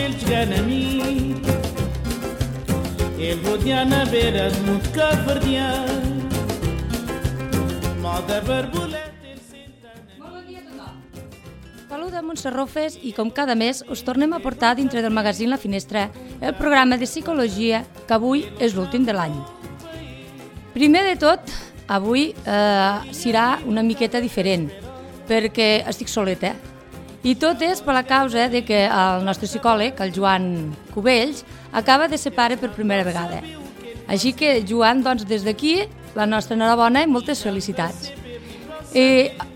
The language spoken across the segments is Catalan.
الجان أمين الوديانة بيرز متكا فرديان ما دبر بولات Saluda Montse Rofes i com cada mes us tornem a portar dintre del magazín La Finestra el programa de psicologia que avui és l'últim de l'any. Primer de tot, avui serà una miqueta diferent perquè estic soleta i tot és per la causa de que el nostre psicòleg, el Joan Cubells, acaba de ser pare per primera vegada. Així que, Joan, doncs des d'aquí, la nostra enhorabona i moltes felicitats.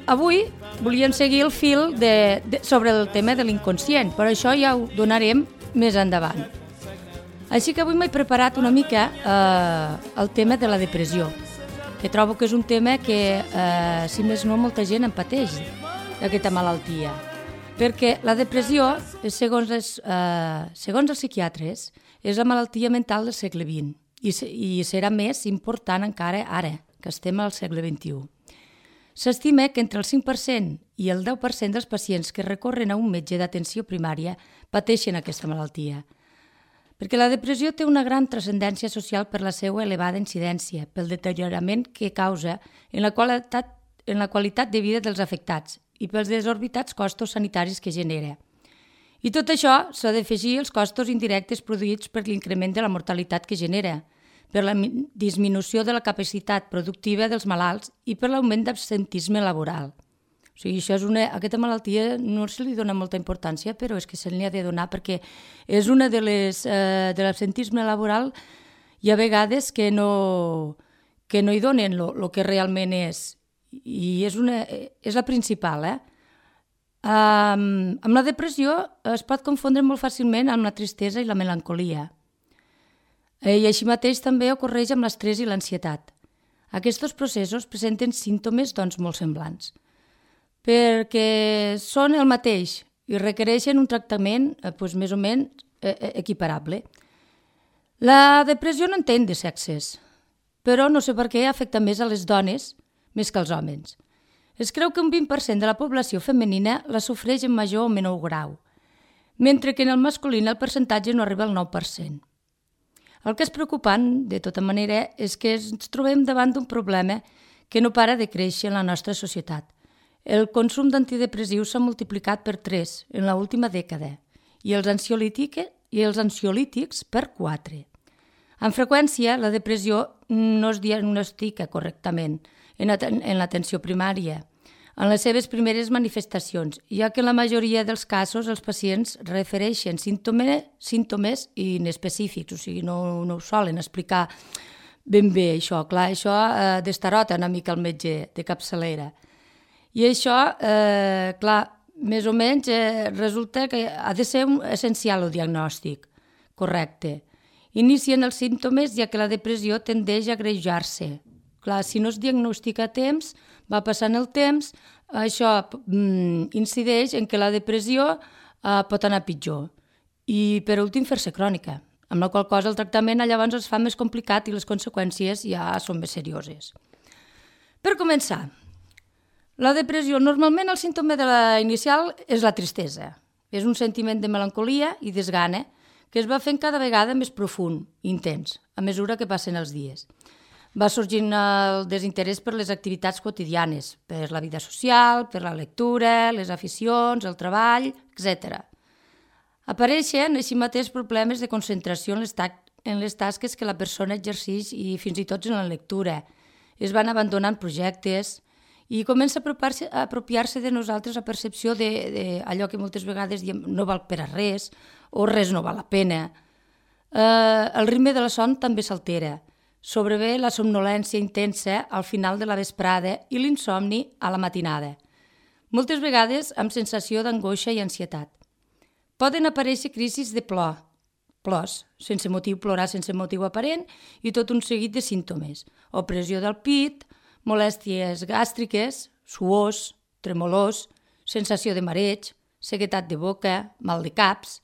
Avui volíem seguir el fil sobre el tema de l'inconscient, però això ja ho donarem més endavant. Així que avui m'he preparat una mica el tema de la depressió, que trobo que és un tema que, si més no, molta gent en pateix, aquesta malaltia. Perquè la depressió, segons els psiquiatres, és la malaltia mental del segle XX i serà més important encara ara, que estem al segle XXI. S'estima que entre el 5% i el 10% dels pacients que recorren a un metge d'atenció primària pateixen aquesta malaltia. Perquè la depressió té una gran transcendència social per la seva elevada incidència, pel deteriorament que causa en la qualitat de vida dels afectats i pels desorbitats costos sanitaris que genera. I tot això s'ha d'afegir els costos indirectes produïts per l'increment de la mortalitat que genera, per la disminució de la capacitat productiva dels malalts i per l'augment d'absentisme laboral. O sigui, aquesta malaltia no se li dona molta importància, però és que se li ha de donar perquè és una de l'absentisme laboral hi ha vegades que no hi donen el que realment és. I és la principal. Amb la depressió es pot confondre molt fàcilment amb la tristesa i la melancolia. I així mateix també ocorreix amb l'estrès i l'ansietat. Aquests processos presenten símptomes molt semblants, perquè són el mateix i requereixen un tractament més o menys equiparable. La depressió no entén de sexes, però no sé per què afecta més a les dones més que als homes. Es creu que un 20% de la població femenina la sofreix en major o menor grau, mentre que en el masculí el percentatge no arriba al 9%. El que és preocupant, de tota manera, és que ens trobem davant d'un problema que no para de créixer en la nostra societat. El consum d'antidepressius s'ha multiplicat per 3 en l'última dècada i els ansiolítics per 4. Amb freqüència, la depressió no es diagnostica correctament en l'atenció primària, en les seves primeres manifestacions, ja que en la majoria dels casos els pacients refereixen símptomes inespecífics, o sigui, no ho solen explicar ben bé això. Clar, això destarota una mica el metge de capçalera. I això, clar, més o menys resulta que ha de ser essencial el diagnòstic correcte. Inicien els símptomes ja que la depressió tendeix a agreujar-se. Clar, si no es diagnostica a temps, va passant el temps, això incideix en què la depressió pot anar pitjor i, per últim, fer-se crònica, amb la qual cosa el tractament llavors es fa més complicat i les conseqüències ja són més serioses. Per començar, la depressió, normalment el símptoma inicial és la tristesa. És un sentiment de melancolia i desgana que es va fent cada vegada més profund i intens a mesura que passen els dies. Va sorgint el desinterès per les activitats quotidianes, per la vida social, per la lectura, les aficions, el treball, etc. Apareixen així mateix problemes de concentració en les tasques que la persona exerceix i fins i tot en la lectura. Es van abandonant projectes i comença a apropiar-se de nosaltres la percepció d'allò que moltes vegades diem no val per a res o res no val la pena. El ritme de la son també s'altera. Sobrevé la somnolència intensa al final de la vesprada i l'insomni a la matinada, moltes vegades amb sensació d'angoixa i ansietat. Poden aparèixer crisis de plors, sense motiu, plorar sense motiu aparent i tot un seguit de símptomes, opressió del pit, molèsties gàstriques, suors, tremolors, sensació de mareig, sequedat de boca, mal de caps.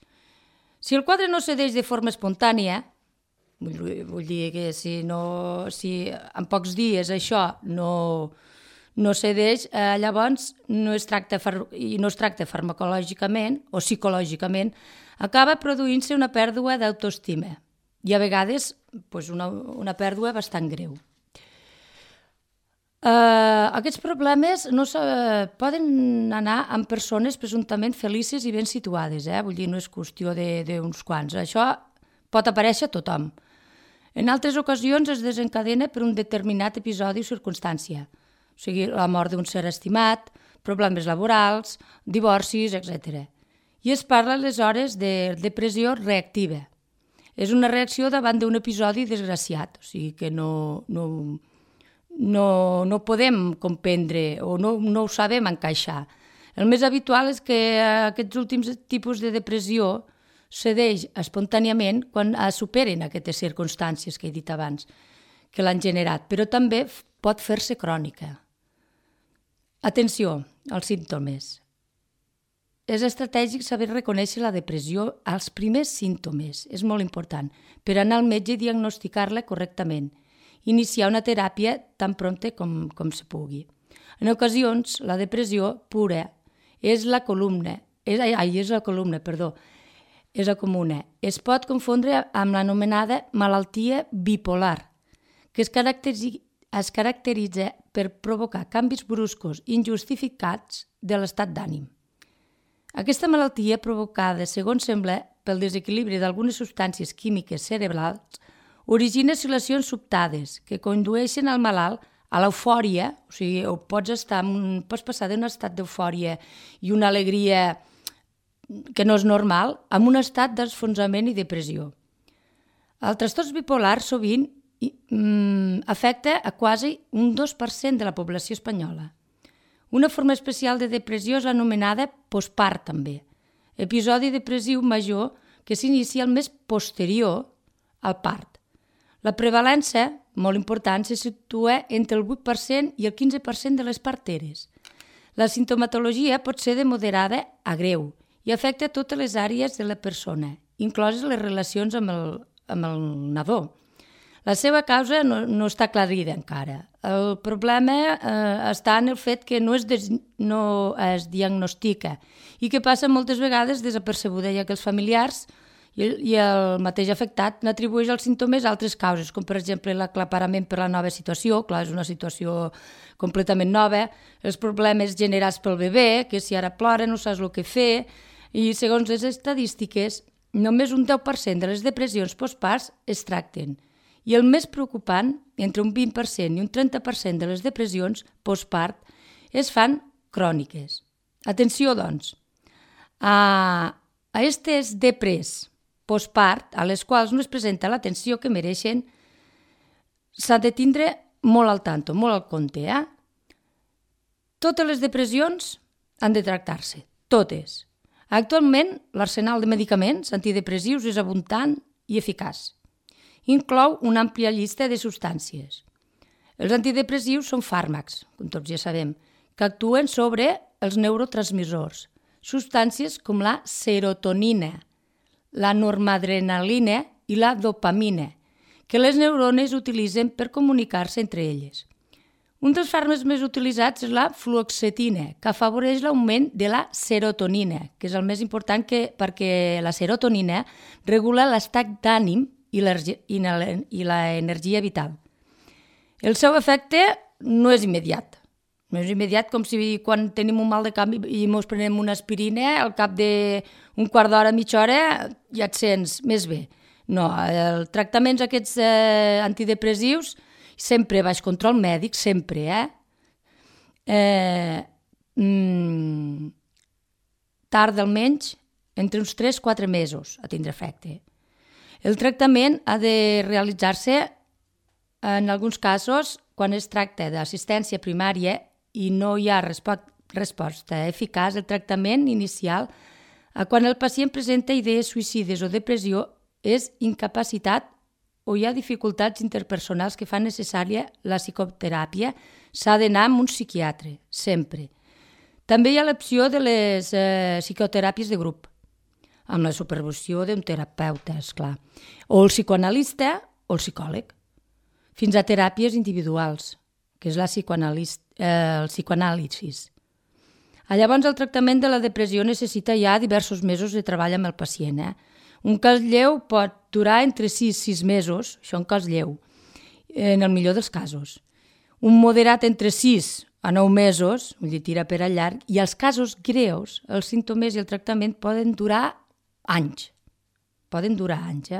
Si el quadre no cedeix de forma espontània, vull dir que si en pocs dies això no cedeix, llavors no es tracta farmacològicament o psicològicament, acaba produint-se una pèrdua d'autoestima i a vegades una pèrdua bastant greu. Aquests problemes poden anar amb persones presumptament felices i ben situades, vull dir, no és qüestió d'uns quants. Això pot aparèixer a tothom. En altres ocasions es desencadena per un determinat episodi o circumstància, o sigui, la mort d'un ser estimat, problemes laborals, divorcis, etc. I es parla aleshores de depressió reactiva. És una reacció davant d'un episodi desgraciat, o sigui que no podem comprendre o no ho sabem encaixar. El més habitual és que aquests últims tipus de depressió cedeix espontàniament quan superen aquestes circumstàncies que he dit abans, que l'han generat, però també pot fer-se crònica. Atenció als símptomes. És estratègic saber reconèixer la depressió als primers símptomes, és molt important, per anar al metge i diagnosticar-la correctament. Iniciar una teràpia tan prompte com se pugui. En ocasions, la depressió pura és la comuna. Es pot confondre amb l'anomenada malaltia bipolar, que es caracteritza per provocar canvis bruscos i injustificats de l'estat d'ànim. Aquesta malaltia, provocada, segons sembla, pel desequilibri d'algunes substàncies químiques cerebrals, origina oscil·lacions sobtades que condueixen al malalt a l'eufòria, o sigui, pots passar d'un estat d'eufòria i una alegria que no és normal, a un estat d'enfonsament i depressió. El trastorn bipolar sovint afecta a quasi un 2% de la població espanyola. Una forma especial de depressió és anomenada postpart també, episodi depressiu major que s'inicia el mes posterior al part. La prevalència, molt important, se situa entre el 8% i el 15% de les parteres. La simptomatologia pot ser de moderada a greu i afecta totes les àrees de la persona, incloses les relacions amb el nadó. La seva causa no està aclarida encara. El problema està en el fet que no es diagnostica i que passa moltes vegades desapercebuda, ja que els familiars i el mateix afectat n'atribueix els símptomes a altres causes, com per exemple l'aclaparament per la nova situació, clar, és una situació completament nova, els problemes generats pel bebè, que si ara plora no saps el que fer, i segons les estadístiques, només un 10% de les depressions postparts es tracten. I el més preocupant, entre un 20% i un 30% de les depressions postpart es fan cròniques. Atenció, doncs, a aquestes depres postpart, a les quals no es presenta l'atenció que mereixen, s'ha de tindre molt al tanto, molt al compte. Totes les depressions han de tractar-se, totes. Actualment, l'arsenal de medicaments antidepressius és abundant i eficaç. Inclou una àmplia llista de substàncies. Els antidepressius són fàrmacs, com tots ja sabem, que actuen sobre els neurotransmissors, substàncies com la serotonina, la noradrenalina i la dopamina, que les neurones utilitzen per comunicar-se entre elles. Un dels fàrmacs més utilitzats és la fluoxetina, que afavoreix l'augment de la serotonina, que és el més important perquè la serotonina regula l'estat d'ànim i l'energia vital. El seu efecte no és immediat. No és immediat com si quan tenim un mal de cap i ens prenem una aspirina, al cap d'un quart d'hora, mitja hora, ja et sents més bé. No, els tractaments aquests antidepressius sempre baix control mèdic, sempre, tarda almenys entre uns 3-4 mesos a tindre efecte. El tractament ha de realitzar-se en alguns casos quan es tracta d'assistència primària i no hi ha resposta eficaç. El tractament inicial, quan el pacient presenta idees suïcides o depressió, és incapacitat o hi ha dificultats interpersonals que fan necessària la psicoteràpia, s'ha d'anar amb un psiquiatre, sempre. També hi ha l'opció de les psicoteràpies de grup, amb la supervisió d'un terapeuta, esclar, o el psicoanalista o el psicòleg, fins a teràpies individuals, que és el psicoanàlisi. Llavors, el tractament de la depressió necessita ja diversos mesos de treball amb el pacient. Un cas lleu pot durar entre 6 i 6 mesos, això un cas lleu, en el millor dels casos. Un moderat entre 6 a 9 mesos, vull dir, tira per a llarg, i els casos greus, els símptomes i el tractament poden durar anys. Poden durar anys,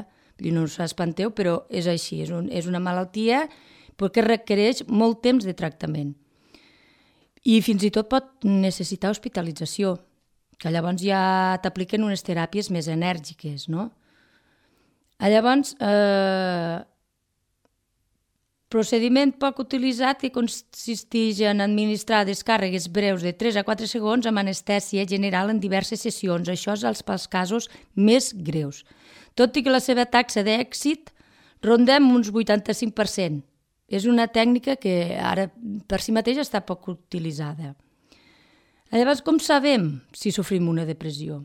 Vull dir, no us espanteu, però és així, és una malaltia que requereix molt temps de tractament. I fins i tot pot necessitar hospitalització, que llavors ja t'apliquen unes teràpies més enèrgiques, no? Llavors, procediment poc utilitzat que consisteix en administrar descàrregues breus de 3 a 4 segons amb anestèsia general en diverses sessions. Això és pels casos més greus. Tot i que la seva taxa d'èxit rondem uns 85%. És una tècnica que ara per si mateix està poc utilitzada. Llavors, com sabem si sofrim una depressió?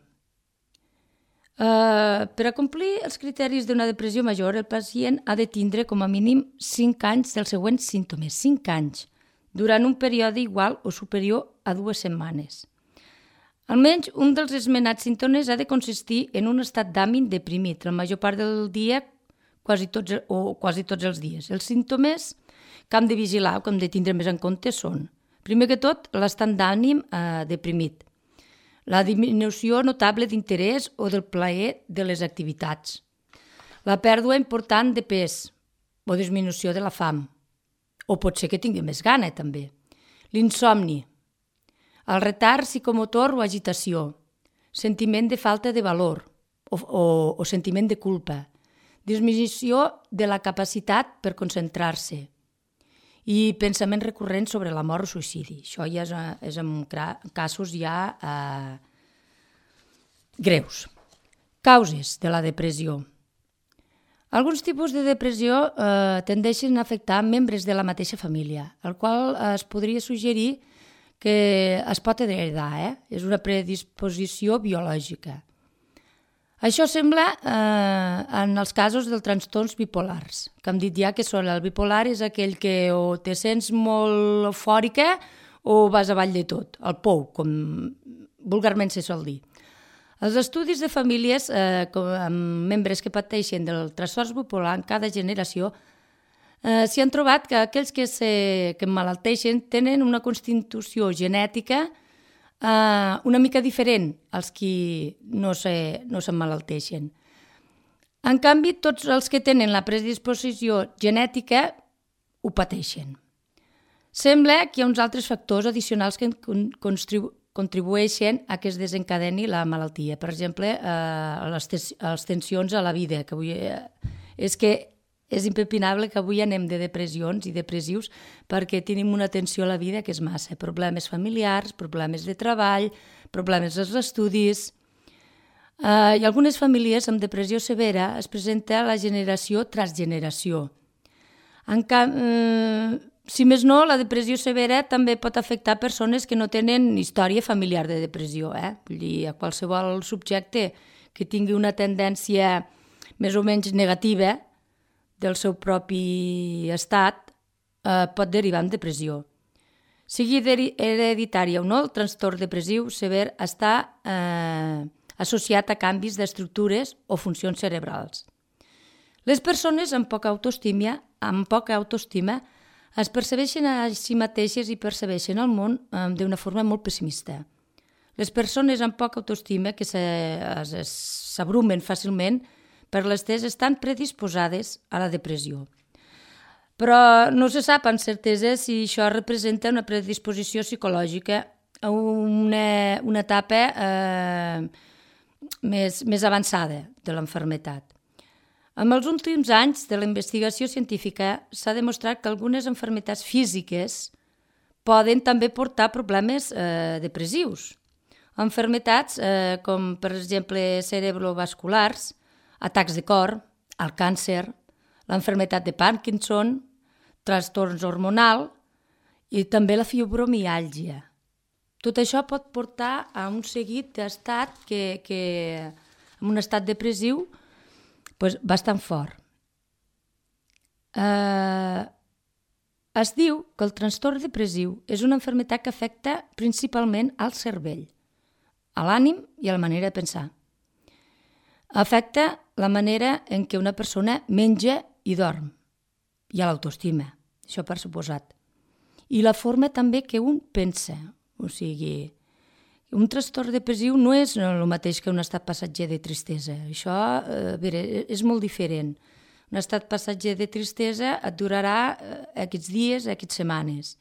Per a complir els criteris d'una depressió major, el pacient ha de tindre com a mínim 5 anys dels següents símptomes, 5 anys, durant un període igual o superior a 2 setmanes. Almenys un dels esmenats símptomes ha de consistir en un estat d'ànim deprimit, la major part del dia, quasi tots els dies. Els símptomes que hem de vigilar o que hem de tindre més en compte són, primer que tot, l'estat d'ànim deprimit, la diminució notable d'interès o del plaer de les activitats, la pèrdua important de pes o disminució de la fam, o pot ser que tingui més gana també, l'insomni, el retard psicomotor o agitació, sentiment de falta de valor o sentiment de culpa, disminució de la capacitat per concentrar-se i pensaments recurrents sobre la mort o suïcidi. Això ja és en casos ja greus. Causes de la depressió. Alguns tipus de depressió tendeixen a afectar membres de la mateixa família, el qual es podria suggerir que es pot heredar, és una predisposició biològica. Això sembla en els casos dels trastorns bipolars, que hem dit ja que són el bipolar és aquell que o te sents molt eufòrica o vas avall de tot, el pou, com vulgarment se sol dir. Els estudis de famílies amb membres que pateixen del trastorn bipolar en cada generació s'hi han trobat que aquells que emmalalteixen tenen una constitució genètica una mica diferent als qui no s'emmalalteixen. En canvi, tots els que tenen la predisposició genètica ho pateixen. Sembla que hi ha uns altres factors addicionals que contribueixen a que es desencadeni la malaltia. Per exemple, les tensions a la vida, que avui és impepinable que avui anem de depressions i depressius perquè tenim una tensió a la vida que és massa. Problemes familiars, problemes de treball, problemes als estudis. I algunes famílies amb depressió severa es presenta la generació tras generació. Si més no, la depressió severa també pot afectar persones que no tenen història familiar de depressió. Vull dir, a qualsevol subjecte que tingui una tendència més o menys negativa del seu propi estat pot derivar en depressió. Sigui hereditària o no, el trastorn depressiu sever està associat a canvis d'estructures o funcions cerebrals. Les persones amb poca autoestima es percebeixen a si mateixes i percebeixen el món d'una forma molt pessimista. Les persones amb poca autoestima que s'abrumen fàcilment per l'estrès estan predisposades a la depressió. Però no se sap amb certesa si això representa una predisposició psicològica a una etapa més avançada de l'enfermetat. En els últims anys de la investigació científica s'ha demostrat que algunes malalties físiques poden també portar problemes depressius. Malalties com, per exemple, cerebrovasculars, atacs de cor, el càncer, la malaltia de Parkinson, trastorns hormonals i també la fibromiàlgia. Tot això pot portar a un seguit d'estat en un estat depressiu bastant fort. Es diu que el trastorn depressiu és una malaltia que afecta principalment al cervell, a l'ànim i a la manera de pensar. Afecta la manera en què una persona menja i dorm, i a l'autoestima, això per suposat. I la forma també que un pensa, o sigui, un trastorn depressiu no és el mateix que un estat passatger de tristesa. Això és molt diferent. Un estat passatger de tristesa et durarà aquests dies, aquestes setmanes,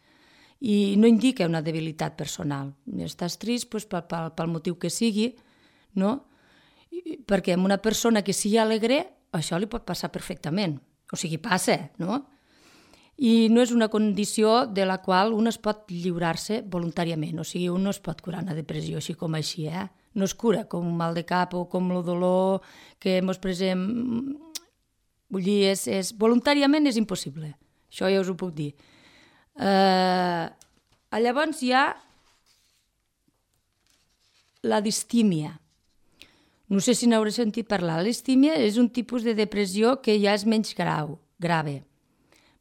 i no indica una debilitat personal. Estàs trist pel motiu que sigui, no? Perquè a una persona que sigui alegre això li pot passar perfectament. O sigui, passa, no? I no és una condició de la qual un es pot lliurar-se voluntàriament. O sigui, un no es pot curar una depressió així com així, No es cura com un mal de cap o com el dolor que ens presem. Vull dir, voluntàriament és impossible. Això ja us ho puc dir. Llavors hi ha la distímia. No sé si n'hauré sentit parlar. La distímia és un tipus de depressió que ja és menys grave.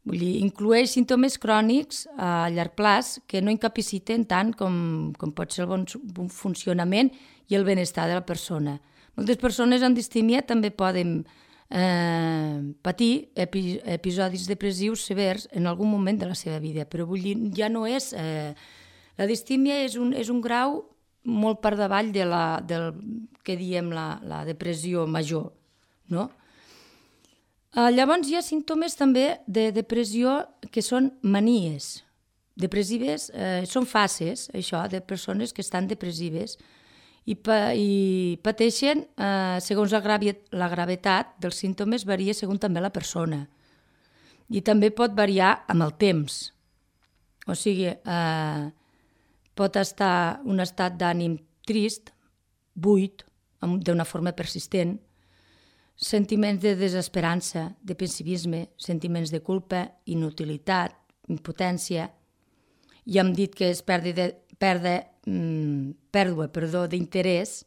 Vull dir, inclueix símptomes crònics a llarg plaç que no incapaciten tant com pot ser el bon funcionament i el benestar de la persona. Moltes persones amb distímia també poden patir episodis depressius severs en algun moment de la seva vida, però vull dir, ja no és... La distímia és un grau molt per davall del que diem la depressió major, no? Llavors hi ha símptomes també de depressió que són manies depressives, són fases, això, de persones que estan depressives i pateixen, segons la gravetat dels símptomes, varia segons també la persona. I també pot variar amb el temps. O sigui, pot estar un estat d'ànim trist, buit, d'una forma persistent, sentiments de desesperança, de pessimisme, sentiments de culpa, inutilitat, impotència, i hem dit que és pèrdua d'interès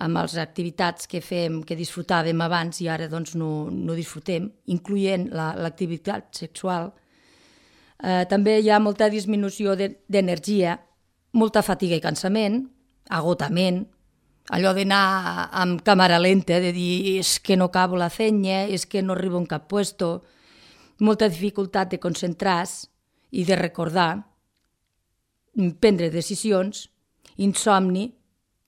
amb les activitats que fem, que disfrutàvem abans i ara doncs no disfrutem, incloent l'activitat sexual. També hi ha molta disminució d'energia, molta fatiga i cansament, agotament, allò d'anar amb càmera lenta, de dir és que no acabo la feina, és que no arribo en cap puesto, molta dificultat de concentrar-se i de recordar, prendre decisions, insomni,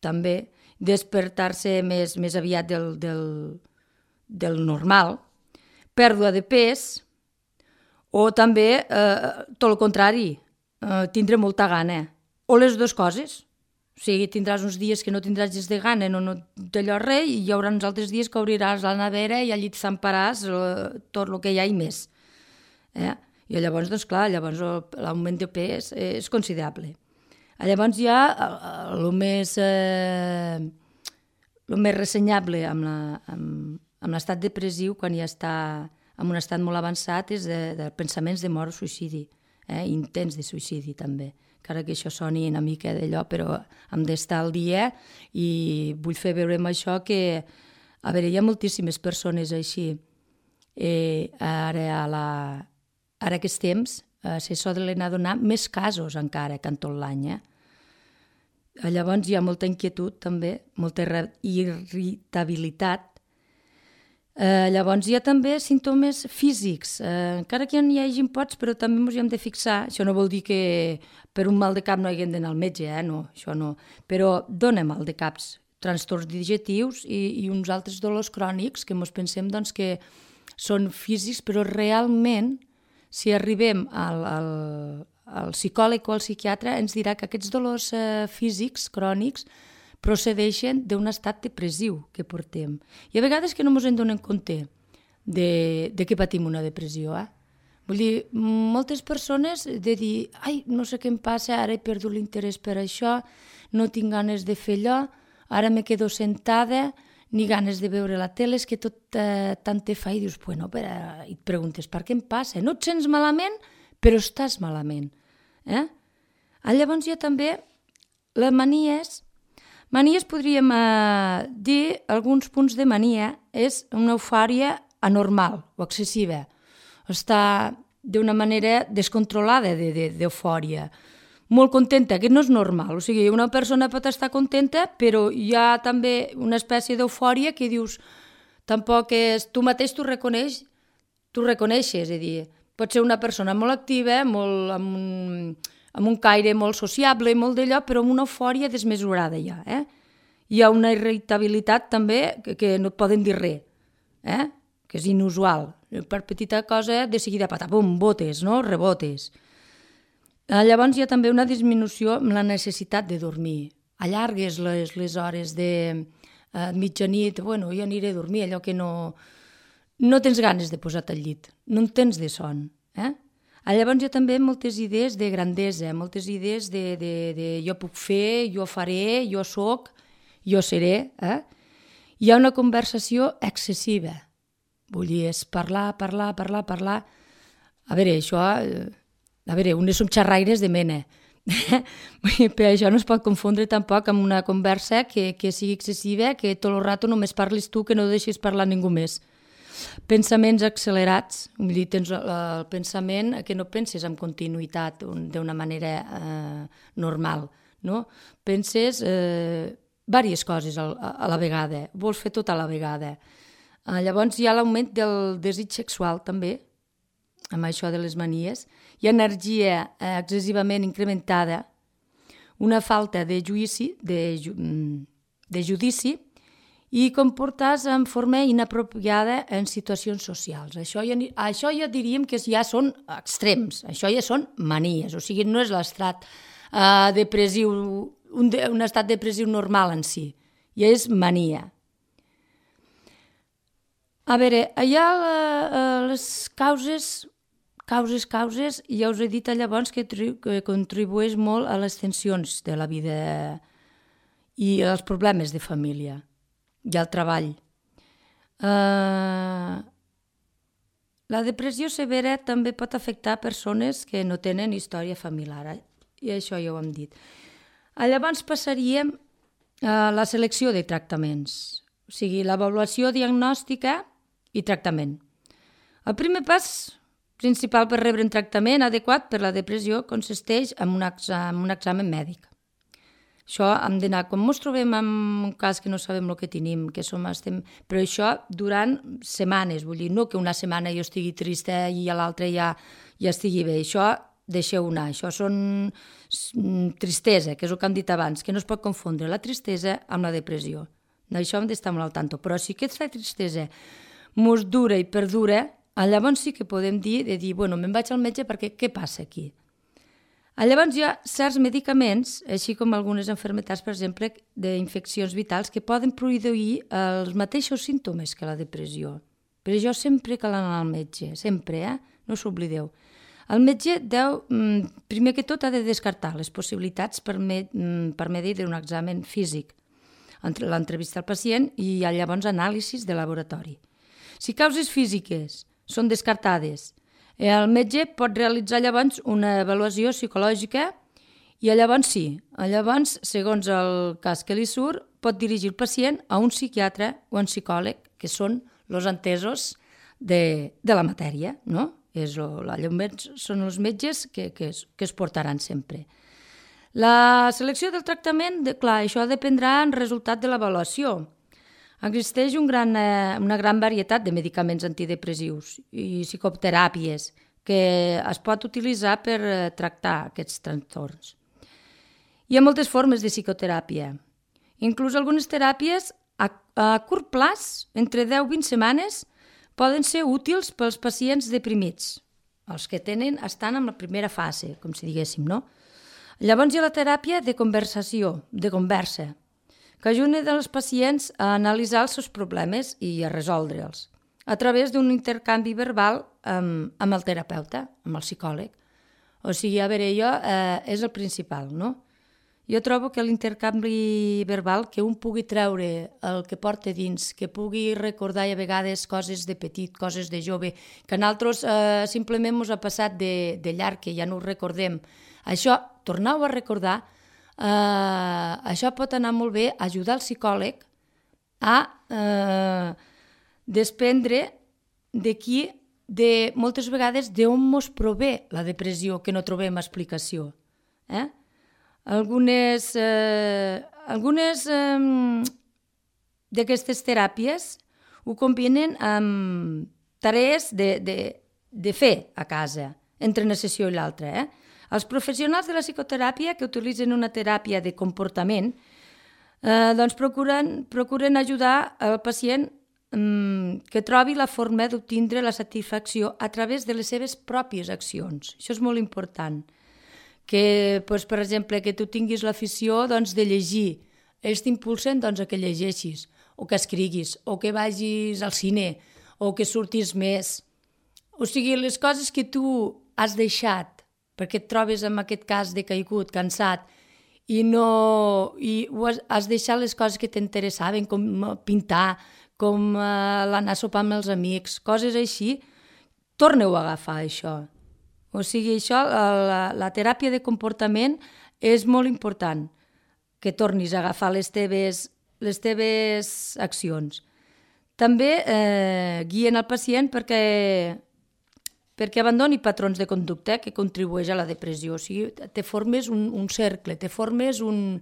també, despertar-se més aviat del normal, pèrdua de pes, o també, tot el contrari, tindre molta gana, o les dues coses. O sigui, tindràs uns dies que no tindràs gens de gana, no d'allò res, i hi haurà uns altres dies que obriràs la nevera i allí t'emparàs tot el que hi ha i més. I llavors, doncs clar, l'augment de pes és considerable. Llavors hi ha el més ressenyable amb l'estat depressiu, quan ja està en un estat molt avançat, és de pensaments de mort o suïcidi, intents de suïcidi també. Encara que això soni una mica d'allò, però hem d'estar al dia i vull fer veure amb això que, a veure, hi ha moltíssimes persones així. Ara que temps, se solen adonar més casos encara que en tot l'any. Llavors hi ha molta inquietud també, molta irritabilitat. Llavors hi ha també símptomes físics, encara que no hi hagi pots, però també ens hi hem de fixar. Això no vol dir que per un mal de cap no haguem d'anar al metge, no, això no. Però dona mal de caps, trastorns digestius i uns altres dolors crònics que ens pensem doncs, que són físics, però realment, si arribem al psicòleg o al psiquiatre, ens dirà que aquests dolors físics crònics procedeixen d'un estat depressiu que portem. I a vegades que no ens en donem compte de que patim una depressió. Vull dir, moltes persones de dir ai, no sé què em passa, ara he perdut l'interès per això, no tinc ganes de fer allò, ara me quedo sentada, ni ganes de veure la tele, és que tot tant te fa i dius, bueno, i et preguntes, per què em passa? No et sents malament, però estàs malament. Llavors hi ha també les manies. Manies podríem dir, alguns punts de mania, és una eufòria anormal o excessiva. Està d'una manera descontrolada d'eufòria. Molt contenta, que no és normal. O sigui, una persona pot estar contenta, però hi ha també una espècie d'eufòria que dius, tampoc és... Tu mateix t'ho reconeixes, és a dir, pot ser una persona molt activa, molt, amb un caire molt sociable i molt d'allò, però amb una eufòria desmesurada ja. Hi ha una irritabilitat també que no et poden dir res, que és inusual. Per petita cosa, de seguida, patapum, botes, no? Rebotes. Llavors hi ha també una disminució amb la necessitat de dormir. Allargues les hores de mitjanit, bueno, ja aniré a dormir, allò que no tens ganes de posar-te al llit, no en tens de son. Llavors hi ha també moltes idees de grandesa, moltes idees de jo puc fer, jo faré, jo soc, jo seré. Hi ha una conversació excessiva. Vull dir, és parlar. A veure, això... A veure, unes som xerraires de mena. Per això no es pot confondre tampoc amb una conversa que sigui excessiva, que tot el rato només parlis tu, que no deixis parlar ningú més. Pensaments accelerats, vull dir, tens el pensament que no penses amb continuïtat d'una manera normal, no? Penses diverses coses a la vegada, vols fer tot a la vegada. Llavors hi ha l'augment del desig sexual també, amb això de les manies. Hi ha energia excessivament incrementada, una falta de judici i comportar-se en forma inapropiada en situacions socials. Això ja diríem que ja són extrems, això ja són manies, o sigui, no és l'estat depressiu, un estat depressiu normal en si, ja és mania. A veure, hi ha les causes, ja us he dit llavors que contribueix molt a les tensions de la vida i als problemes de família i al treball. La depressió severa també pot afectar persones que no tenen història familiar, i això ja ho hem dit. Llavors passaríem a la selecció de tractaments, o sigui, l'avaluació diagnòstica i tractament. El primer pas principal per rebre un tractament adequat per la depressió consisteix en un examen mèdic. Això hem d'anar, quan ens trobem en un cas que no sabem el que tenim, però això durant setmanes, vull dir, no que una setmana jo estigui trista i a l'altra ja estigui bé, això deixeu anar, això són tristesa, que és el que hem dit abans, que no es pot confondre la tristesa amb la depressió. D'això hem d'estar molt al tanto, però si aquesta tristesa mos dura i perdura, llavors sí que podem dir, bueno, me'n vaig al metge perquè què passa aquí? Llavors hi ha certs medicaments, així com algunes malalties, per exemple, d'infeccions vitals, que poden produir els mateixos símptomes que la depressió. Per això sempre cal anar al metge, sempre, no s'oblideu. El metge primer que tot, ha de descartar les possibilitats per medi d'un examen físic, l'entrevista al pacient i llavors anàlisis de laboratori. Si causes físiques són descartades, el metge pot realitzar llavors una avaluació psicològica i llavors segons el cas que li surt, pot dirigir el pacient a un psiquiatre o un psicòleg, que són els entesos de la matèria, no? Són els metges que es portaran sempre. La selecció del tractament, clar, això dependrà en resultat de l'avaluació. Existeix una gran varietat de medicaments antidepressius i psicoteràpies que es pot utilitzar per tractar aquests trastorns. Hi ha moltes formes de psicoteràpia. Inclús algunes teràpies a curt plaç, entre 10 i 20 setmanes, poden ser útils pels pacients deprimits, els que estan en la primera fase, com si diguéssim, no? Llavors hi ha la teràpia de conversa, que ajuda els pacients a analitzar els seus problemes i a resoldre'ls a través d'un intercanvi verbal amb el terapeuta, amb el psicòleg. O sigui, a veure, és el principal, no? Jo trobo que l'intercanvi verbal, que un pugui treure el que porta dins, que pugui recordar a vegades coses de petit, coses de jove, que a nosaltres simplement ens ha passat de llarg, que ja no ho recordem. Això, torneu a recordar, això pot anar molt bé, ajudar el psicòleg a desprendre de qui moltes vegades d'on mos prové la depressió que no trobem explicació. Algunes d'aquestes teràpies ho combinen amb tarees de fer a casa, entre una sessió i l'altra. Els professionals de la psicoteràpia que utilitzen una teràpia de comportament doncs procuren ajudar al pacient que trobi la forma d'obtindre la satisfacció a través de les seves pròpies accions. Això és molt important. Que, per exemple, que tu tinguis l'afició de llegir. Ells t'impulsen a que llegeixis, o que escriguis, o que vagis al cine, o que surtis més. O sigui, les coses que tu has deixat, perquè et trobes en aquest cas decaigut, cansat, i has deixat les coses que t'interessaven, com pintar, com l'anar a sopar amb els amics, coses així, torneu a agafar això. O sigui, això, la teràpia de comportament és molt important, que tornis a agafar les teves accions. També guien el pacient perquè abandoni patrons de conducta que contribueix a la depressió. O sigui, te formes un cercle, te formes un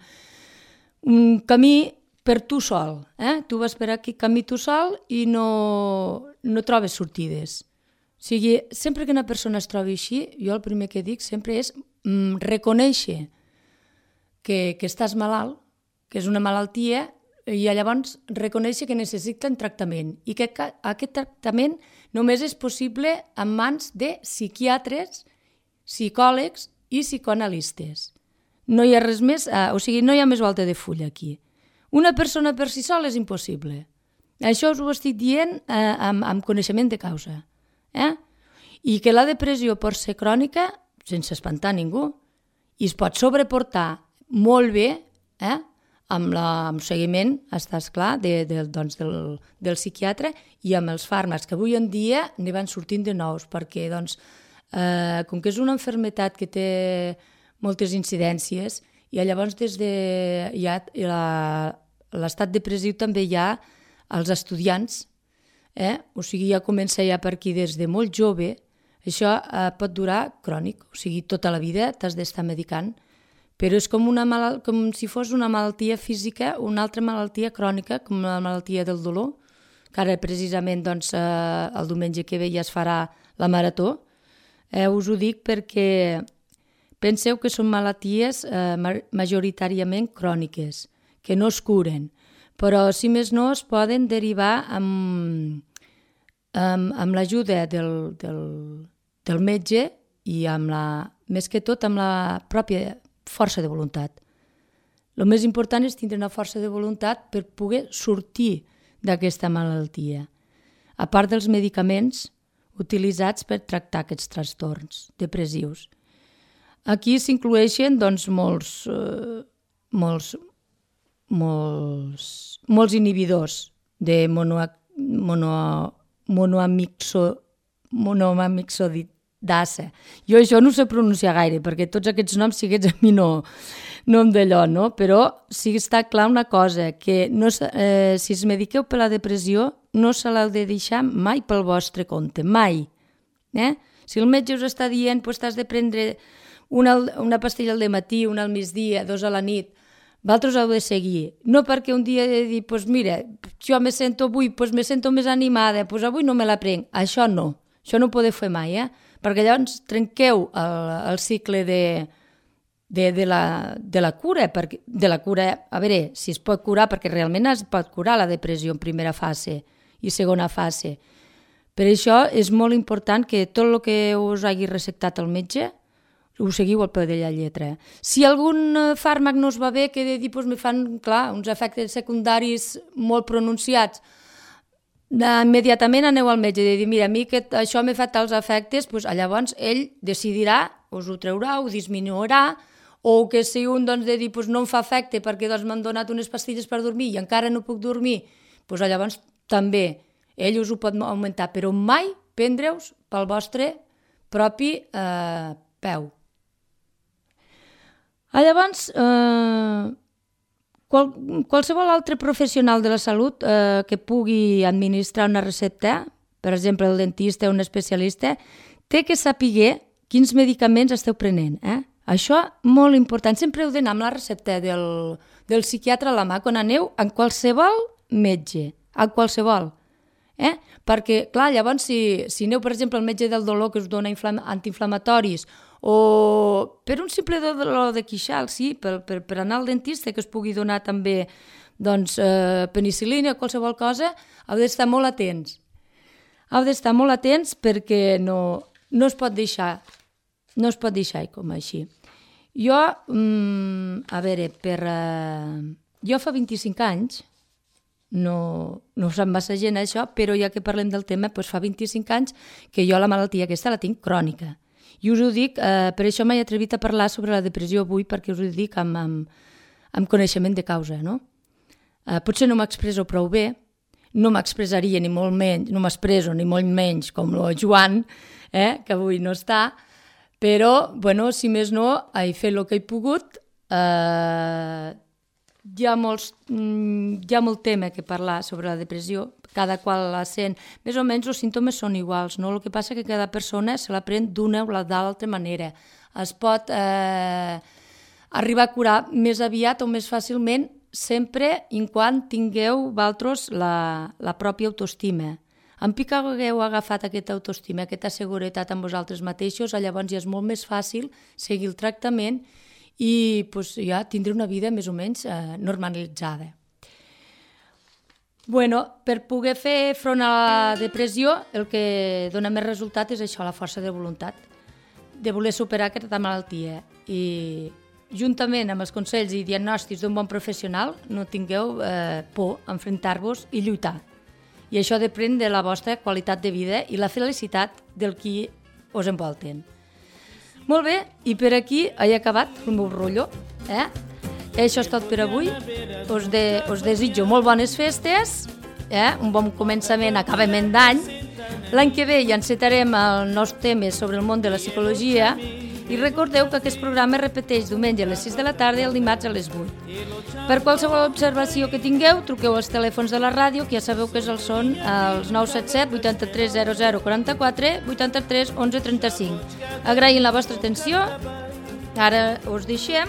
camí per tu sol. Tu vas per aquí camí tu sol i no trobes sortides. O sigui, sempre que una persona es trobi així, jo el primer que dic sempre és reconèixer que estàs malalt, que és una malaltia, i llavors reconèixer que necessiten tractament i que aquest tractament només és possible en mans de psiquiatres, psicòlegs i psicoanalistes. No hi ha res més, o sigui, no hi ha més volta de fulla aquí. Una persona per si sola és impossible. Això us ho estic dient amb coneixement de causa. I que la depressió pot ser crònica sense espantar ningú i es pot sobreportar molt bé amb seguiment, estàs clar, del psiquiatre i amb els fàrmacs, que avui en dia ne van sortint de nous, perquè com que és una malaltia que té moltes incidències, i llavors des de l'estat depressiu també hi ha els estudiants, o sigui, ja comença ja per aquí des de molt jove, això pot durar crònic, o sigui, tota la vida t'has d'estar medicant, però és com si fos una malaltia física, una altra malaltia crònica, com la malaltia del dolor, que ara precisament el diumenge que ve ja es farà la marató. Us ho dic perquè penseu que són malalties majoritàriament cròniques, que no es curen, però si més no es poden derivar amb l'ajuda del metge i més que tot amb la pròpia força de voluntat. El més important és tindre una força de voluntat per poder sortir d'aquesta malaltia, a part dels medicaments utilitzats per tractar aquests trastorns depressius. Aquí s'incloeixen molts inhibidors de monoamixodidasa. Jo això no sé pronunciar gaire, perquè tots aquests noms siguets a mi no em d'allò, no? Però sí que està clar una cosa, que si es mediqueu per la depressió no se l'heu de deixar mai pel vostre compte, mai. Si el metge us està dient que t'has de prendre una pastilla al matí, una al migdia, 2 a la nit, vosaltres heu de seguir. No perquè un dia he de dir, mira, jo me sento més animada, avui no me la prenc. Això no ho podeu fer mai, perquè llavors trenqueu el cicle de la cura. De la cura, a veure, si es pot curar, perquè realment es pot curar la depressió en primera fase i segona fase. Per això és molt important que tot el que us hagi receptat el metge ho seguiu al peu de la lletra. Si algun fàrmac no us va bé, que de dir, me fan, clar, uns efectes secundaris molt pronunciats, immediatament aneu al metge i dir, mira, a mi que això m'ha fet tals efectes, llavors ell decidirà, us ho treurà, ho disminuirà, o que si un de dir, no em fa efecte perquè m'han donat unes pastilles per dormir i encara no puc dormir, llavors també ell us ho pot augmentar, però mai prendre-us pel vostre propi peu. Llavors, qualsevol altre professional de la salut que pugui administrar una recepta per exemple, el dentista o un especialista, té que saber quins medicaments esteu prenent. Això molt important. Sempre heu d'anar amb la recepta del psiquiatre a la mà quan aneu a qualsevol metge, a qualsevol. Perquè, clar, llavors, si aneu, per exemple, al metge del dolor que us dona antiinflamatoris o per un simple dolor de queixal, sí, per anar al dentista que us pugui donar també penicil·lina o qualsevol cosa, heu d'estar molt atents. Heu d'estar molt atents perquè no es pot deixar com així. Jo, jo fa 25 anys, no sap massa gent això, però ja que parlem del tema, fa 25 anys que jo la malaltia aquesta la tinc crònica. I us ho dic, per això m'he atrevit a parlar sobre la depressió avui, perquè us ho dic amb coneixement de causa, no? Potser no m'expresso prou bé, no m'expressaria ni molt menys, no m'expresso ni molt menys com el Joan, que avui no està, però, bueno, si més no, he fet el que he pogut. Hi ha molt tema que parlar sobre la depressió, cada qual la sent. Més o menys els símptomes són iguals, no? El que passa és que cada persona se la pren d'una o d'altra manera. Es pot arribar a curar més aviat o més fàcilment sempre i quan tingueu vosaltres la pròpia autoestima. En pic que hagueu agafat aquesta autoestima, aquesta seguretat amb vosaltres mateixos, llavors ja és molt més fàcil seguir el tractament i ja tindré una vida més o menys normalitzada. Per poder fer front a la depressió, el que dona més resultat és això, la força de voluntat, de voler superar aquesta malaltia. I juntament amb els consells i diagnòstics d'un bon professional, no tingueu por a enfrontar-vos i lluitar. I això depèn de la vostra qualitat de vida i la felicitat del qui us envolten. Molt bé, i per aquí he acabat el meu rotllo. Això és tot per avui. Us desitjo molt bones festes, un bon començament, acabament d'any. L'any que ve ja encetarem els nous temes sobre el món de la psicologia i recordeu que aquest programa es repeteix diumenge a les 6 de la tarda i el dimarts a les 8. Per qualsevol observació que tingueu, truqueu als telèfons de la ràdio, que ja sabeu que són els 977 83 00 44 83 11 35. Agraïm la vostra atenció. Ara us deixem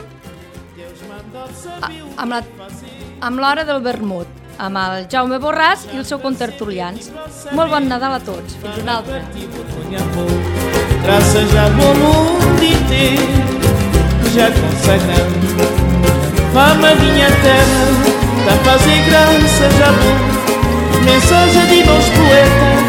amb l'hora del vermut, amb el Jaume Borràs i el seu contertulians. Molt bon Nadal a tots. Fins una altra. Graças ao mundo inteiro já consagramos fama minha terra, da fazer graças a Deus, mensagem de nós poetas.